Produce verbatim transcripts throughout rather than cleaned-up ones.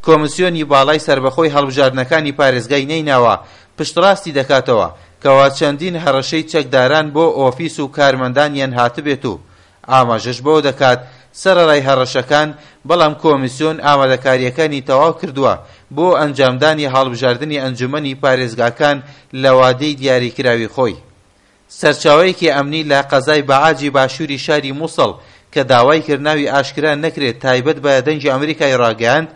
کۆمسیۆنی باڵای سەربەخۆی هەڵبژاردنەکانی پارێزگای نەینەوا پشتڕاستی دەکاتەوە کەوا چەندین هەڕەشەی چەکداران بۆ ئۆفیس و کارمەندانیان هاتبێت و ئاماژەش بەوە دەکات سەرەڕای هەڕەشەکان بەڵام کۆمیسیۆن ئامادەکاریەکانی تەواو کردووە بۆ ئەنجامدانی هەڵبژاردنی ئەنجومەنی پارێزگاکان لە وادەی دیاریکراوی خۆی. سەرچاوەیەکی ئەمنی لە قەزای بەعاجی باشووری شاری موسڵ کە داوای کرد ناوی ئاشکرا نەکرێت تایبەت بە دەنگی ئەمریکای ڕاگەیاند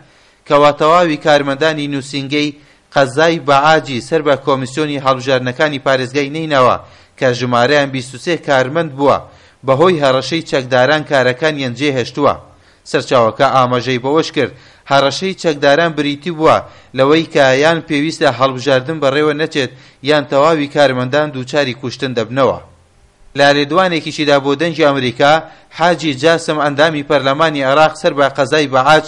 کەوا تەواوی کارمەندانی نووسینگەی قەزای بەعاجی سەر بە کۆمیسیۆنی هەڵبژاردنەکانی پارێزگای نەینەوا کە ژمارەیان بیست و سێ کارمەند بووە بەهۆی هەڕەشەی چەکداران کارەکانیان جێهێشتووە. سەرچاوەکە ئاماژەی بەوەش کرد هەڕەشەی چەکداران بریتی بووە لەوەی کە یان پێویستە هەڵبژاردن بەڕێوە نەچێت یان تەواوی کارمەندان دووچاری کوشتن دەبنەوە. لە لێدوانێکیشیدا بۆ دەنگی ئەمریکا حاجی جاسم ئەندامی پەرلەمانی عێراق سەر بە قەزای بەعاج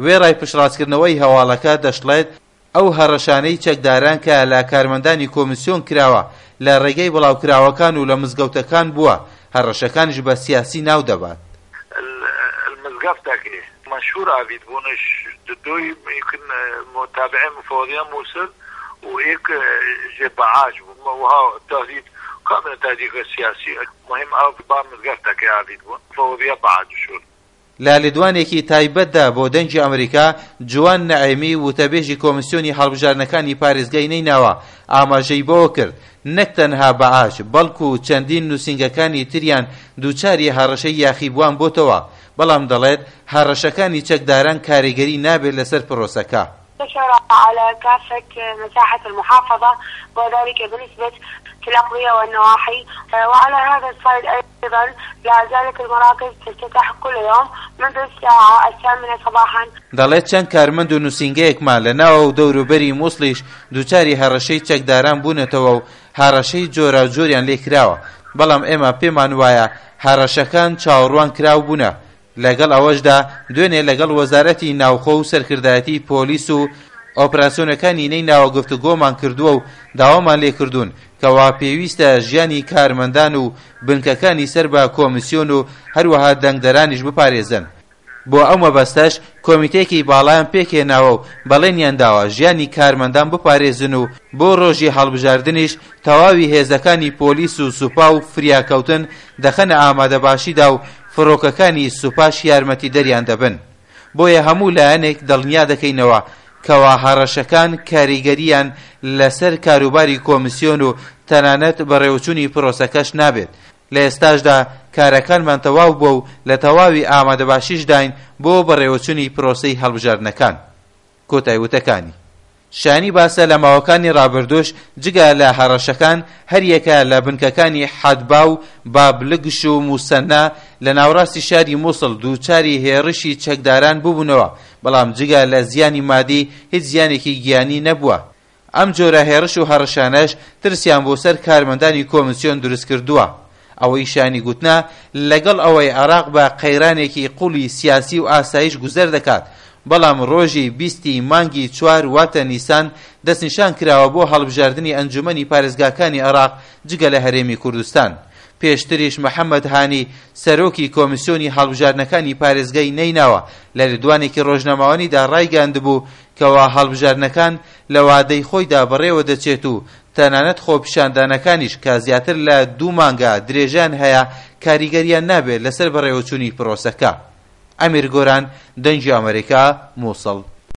وێڕای پشتڕاستکردنەوەی هەواڵەکە دەشڵێت ئەو هەڕەشانەی چەکداران کە لە کارمەندانی کۆمیسیۆن کراوە لە ڕێگەی بڵاوکراوەکان و لە مزگەوتەکان بووە، هەڕەشەکانیش بە سیاسی ناو دەبات. المزگەفتەکەی منشور ئاڤیت بوونش دوی يمكن متابعين مفوضية موصل وإيك جي بعاج وها تهديد كامل تهديد سياسي مهم أو با مزگەفتەکەی ئاڤیت بوون مفوضية بعاج شو. لە لێدوانێکی تایبەتدا بۆ دەنگی ئەمریکا جوان نەعیمی وتەبێژی کۆمیسیۆنی هەڵبژاردنەکانی پارێزگای نەینەوا ئاماژەی بەوە کرد نەک تەنها بەعاج بەڵکو چەندین نووسینگەکانی تریان دووچاری هەڕەشەی یاخیبووان بۆتەوە، بەڵام دەڵێت هەڕەشەکانی چەکداران کاریگەری نابێت لەسەر پرۆسەکە. انتشر على كافة مساحة المحافظة وذلك بنسبة في الأقضية والنواحي، وعلى هذا الصعيد أيضا لا زالت المراكز تفتتح كل يوم منذ الساعة الثامنة صباحا. دەڵێت چەند کارمەند و نووسینگەیەکمان لە ناوە و دەوروبەری مووسڵیش دووچاری هەڕەشەی چەکداران بوونەتەوە و هەڕەشەی جۆراوجۆریان لێکراوە، بەڵام ئێمە پێمان وایە هەڕەشەکان چاوەڕوان کراو بوونە. لەگەڵ ئەوەشدا دوێنێ لەگەڵ وەزارەتی ناوخۆ و سەرکردایەتی پۆلیس و ئۆپراسیۆنەکانی نەینەوا گفتوگۆمان کردووە و داوامان لێکردوون کەوا پێویستە ژیانی کارمەندان و بنکەکانی سەر بە کۆمیسیۆن و هەروەها دەنگدەرانیش بپارێزن. بۆ ئەو مەبەستەش کۆمیتێکی باڵایان پێکهێناوە و بەڵێنیان داوە ژیانی کارمەندان بپارێزن و بۆ ڕۆژی هەڵبژاردنیش تەواوی هێزەکانی پۆلیس و سوپا و فریاکەوتن دەخەنە ئامادەباشیدا و فڕۆکەکانی سوپاش یارمەتی دەریان دەبن. بۆیە هەموو لایەنێک دڵنیا دەکەینەوە کەوا هەڕەشەکان کاریگەریان لەسەر کاروباری کۆمیسیۆن و تەنانەت بەڕێوەچوونی پرۆسەکەش نابێت. لە ئێستاشدا کارەکانمان تەواو بووە و لە تەواوی ئامادەباشیشداین بۆ بەڕێوەچوونی پرۆسەی هەڵبژاردنەکان. کۆتای وتەکانی شانی باسە لە ماوەکانی ڕابردوش جگە لە هەڕەشەکان هەریەکە لە بنکەکانی حەدبا و بابلگش و موسەننا لە ناوەڕاستی شاری مووسڵ دووچاری هێڕشی چەکداران ببوونەوە، بەڵام جگە لە زیانی مادی هیچ زیانێکی گیانی نەبووە. ئەم جۆرە هێڕش و هەڕەشانەش ترسیان بۆ سەر کارمەندانی کۆمیسیۆن دروست کردووە. ئەوەی شانی گوتنا لەگەڵ ئەوەی عێراق بە قەیرانێکی قوڵی سیاسی و ئاسایش گوزەر دەکات، بەڵام ڕۆژی بیستی مانگی چوار واتە نیسان دەستنیشان کراوە بۆ هەڵبژاردنی ئەنجومەنی پارێزگاکانی عێراق جگە لە هەرێمی کوردستان. پێشتریش محەممەد هانی سەرۆکی کۆمیسیۆنی هەڵبژاردنەکانی پارێزگای نەینەوا لە لێدوانێکی ڕۆژنامەوانیدا ڕایگەیاندبوو کەوا هەڵبژاردنەکان لە وادەی خۆیدا بەڕێوە دەچێت و تەنانەت خۆپیشاندانەکانیش کە زیاتر لە دوو مانگە درێژان هەیە کاریگەریان نابێت لەسەر بەڕێوەچوونی پرۆسەکە. ئەمیر گۆران، دەنگی ئەمریکا، مووسڵ.